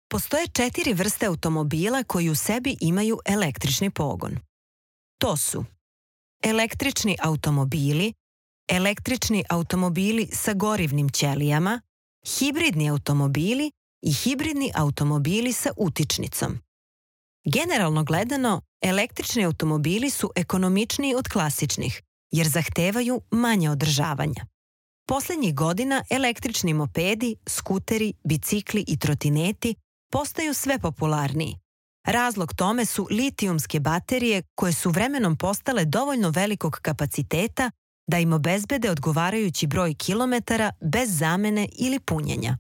Postoje 4 vrste automobila koji u sebi imaju električni pogon. To su električni automobili sa gorivnim ćelijama, hibridni automobili i hibridni automobili sa utičnicom. Generalno gledano, električni automobili su ekonomičniji od klasičnih, jer zahtevaju manje održavanja. Poslednjih godina električni mopedi, skuteri, bicikli i trotineti postaju sve popularniji. Razlog tome su litijumske baterije koje su vremenom postale dovoljno velikog kapaciteta da im obezbede odgovarajući broj kilometara bez zamene ili punjenja.